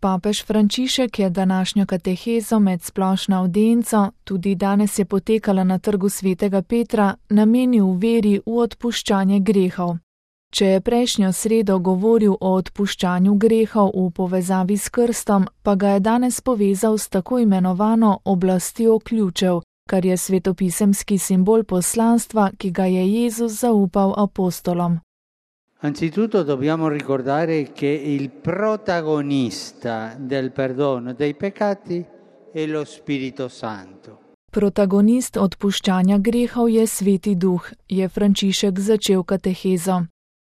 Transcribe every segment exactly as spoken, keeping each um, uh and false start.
Papež Frančišek je današnjo katehezo med splošno avdienco, tudi danes je potekala na trgu svetega Petra, namenil veri v odpuščanje grehov. Če je prejšnjo sredo govoril o odpuščanju grehov v povezavi s krstom, pa ga je danes povezal s tako imenovano oblastjo ključev, kar je svetopisemski simbol poslanstva, ki ga je Jezus zaupal apostolom. Anzitutto dobbiamo ricordare che il protagonista del perdono dei peccati è lo Spirito Santo. Protagonist odpuščanja grehov je Sveti Duh, je Frančišek začel katehezo.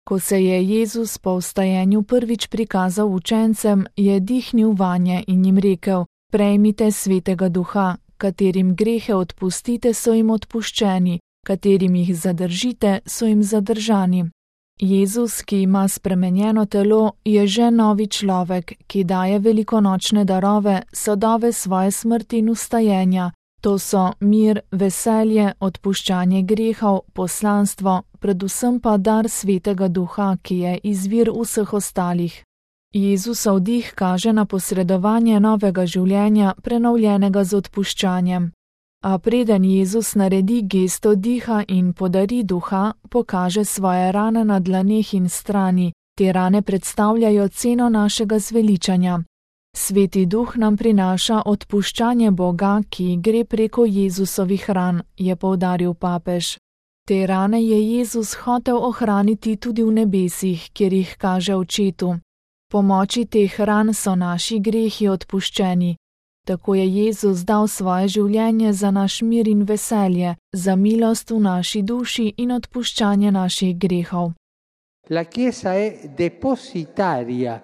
Ko se je Jezus po vstajenju prvič prikazal učencem, je dihnil vanje in jim rekel: prejmite Svetega Duha, katerim grehe odpustite, so jim odpuščeni, katerim jih zadržite, so jim zadržani. Jezus, ki ima spremenjeno telo, je že novi človek, ki daje velikonočne darove, sadove svoje smrti in vstajenja. To so mir, veselje, odpuščanje grehov, poslanstvo, predvsem pa dar Svetega Duha, ki je izvir vseh ostalih. Jezusov dih kaže na posredovanje novega življenja, prenovljenega z odpuščanjem. A preden Jezus naredi gesto diha in podari duha, pokaže svoje rane na dlaneh in strani. Te rane predstavljajo ceno našega zveličanja. Sveti Duh nam prinaša odpuščanje Boga, ki gre preko Jezusovih ran, je poudaril papež. Te rane je Jezus hotel ohraniti tudi v nebesih, kjer jih kaže Očetu. Po moči teh ran so naši grehi odpuščeni. Tako je Jezus dal svoje življenje za naš mir in veselje, za milost v naši duši in odpuščanje naših grehov. La Chiesa è depositaria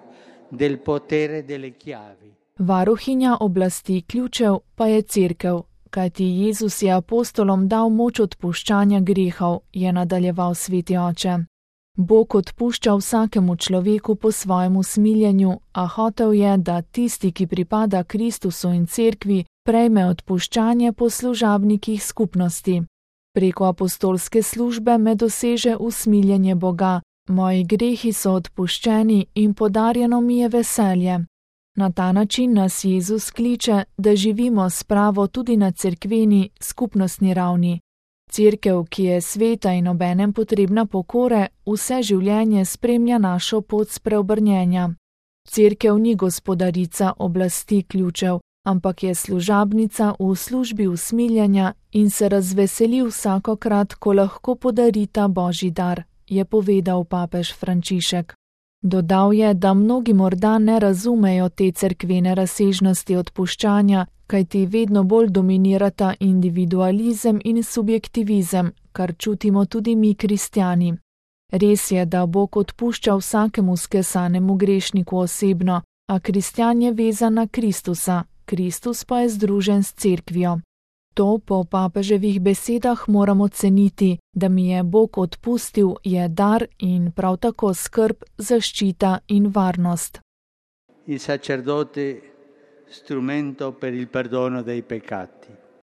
del potere delle chiavi. Varuhinja oblasti ključev pa je Cerkev, kajti Jezus je apostolom dal moč odpuščanja grehov, je nadaljeval Sveti Oče. Bog odpušča vsakemu človeku po svojem usmiljenju, a hotel je, da tisti, ki pripada Kristusu in Cerkvi, prejme odpuščanje po služabnikih skupnosti. Preko apostolske službe me doseže usmiljenje Boga, moji grehi so odpuščeni in podarjeno mi je veselje. Na ta način nas Jezus kliče, da živimo s pravo tudi na cerkveni, skupnostni ravni. Cerkev, ki je sveta in obenem potrebna pokore, vse življenje spremlja našo pot spreobrnjenja. Cerkev ni gospodarica oblasti ključev, ampak je služabnica v službi usmiljenja in se razveseli vsakokrat, ko lahko podari ta Božji dar, je povedal papež Frančišek. Dodal je, da mnogi morda ne razumejo te cerkvene razsežnosti odpuščanja, kajti vedno bolj dominirata individualizem in subjektivizem, kar čutimo tudi mi kristjani. Res je, da Bog odpušča vsakemu skesanemu grešniku osebno, a kristjan je vezan na Kristusa, Kristus pa je združen s cerkvijo. To po papeževih besedah moramo ceniti, da mi je Bog odpustil, je dar in prav tako skrb, zaščita in varnost. Il sacerdote strumento per il perdono dei peccati.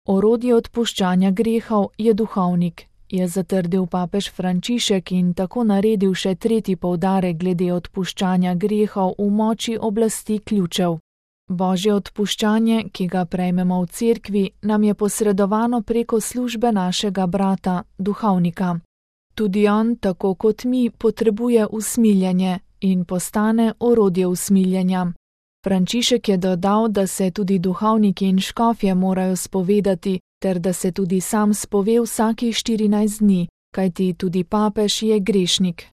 Orodje odpuščanja grehov je duhovnik, je zatrdil papež Frančišek in tako naredil še tretji poudarek glede odpuščanja grehov v moči oblasti ključev. Božje odpuščanje, ki ga prejmemo v cerkvi, nam je posredovano preko službe našega brata, duhovnika. Tudi on, tako kot mi, potrebuje usmiljenje in postane orodje usmiljenja. Frančišek je dodal, da se tudi duhovniki in škofje morajo spovedati, ter da se tudi sam spove vsakih štirinajst dni, kajti tudi papež je grešnik.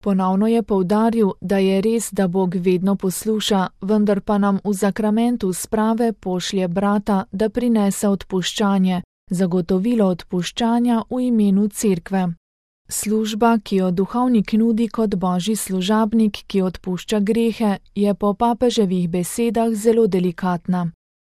Ponovno je poudaril, da je res, da Bog vedno posluša, vendar pa nam v zakramentu sprave pošlje brata, da prinese odpuščanje, zagotovilo odpuščanja v imenu cerkve. Služba, ki jo duhovnik nudi kot božji služabnik, ki odpušča grehe, je po papeževih besedah zelo delikatna.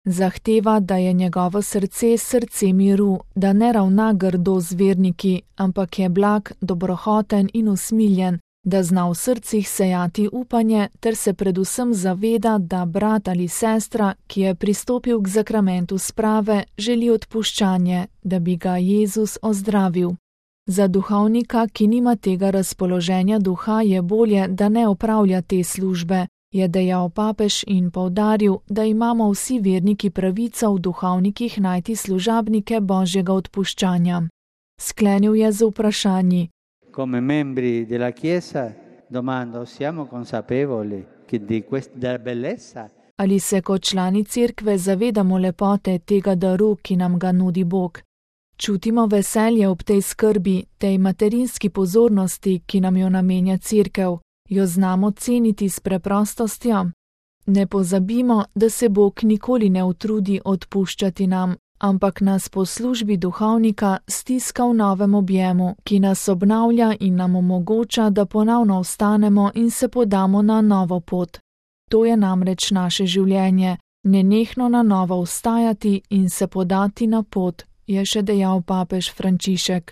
Zahteva, da je njegovo srce srce miru, da ne ravna grdo z verniki, ampak je blag, dobrohoten in usmiljen, da zna v srcih sejati upanje ter se predvsem zaveda, da brat ali sestra, ki je pristopil k zakramentu sprave, želi odpuščanje, da bi ga Jezus ozdravil. Za duhovnika, ki nima tega razpoloženja duha, je bolje, da ne opravlja te službe, je dejal papež in poudaril, da imamo vsi verniki pravico v duhovnikih najti služabnike Božjega odpuščanja. Sklenil je z vprašanji. Come membri della Chiesa domando, siamo consapevoli che di questa bellezza? Ali se kot člani cerkve zavedamo lepote tega daru, ki nam ga nudi Bog? Čutimo veselje ob tej skrbi, tej materinski pozornosti, ki nam jo namenja cerkev, jo znamo ceniti s preprostostjo? Ne pozabimo, da se Bog nikoli ne utrudi odpuščati nam, ampak nas po službi duhovnika stiska v novem objemu, ki nas obnavlja in nam omogoča, da ponovno vstanemo in se podamo na novo pot. To je namreč naše življenje, nenehno na novo vstajati in se podati na pot, je še dejal papež Frančišek.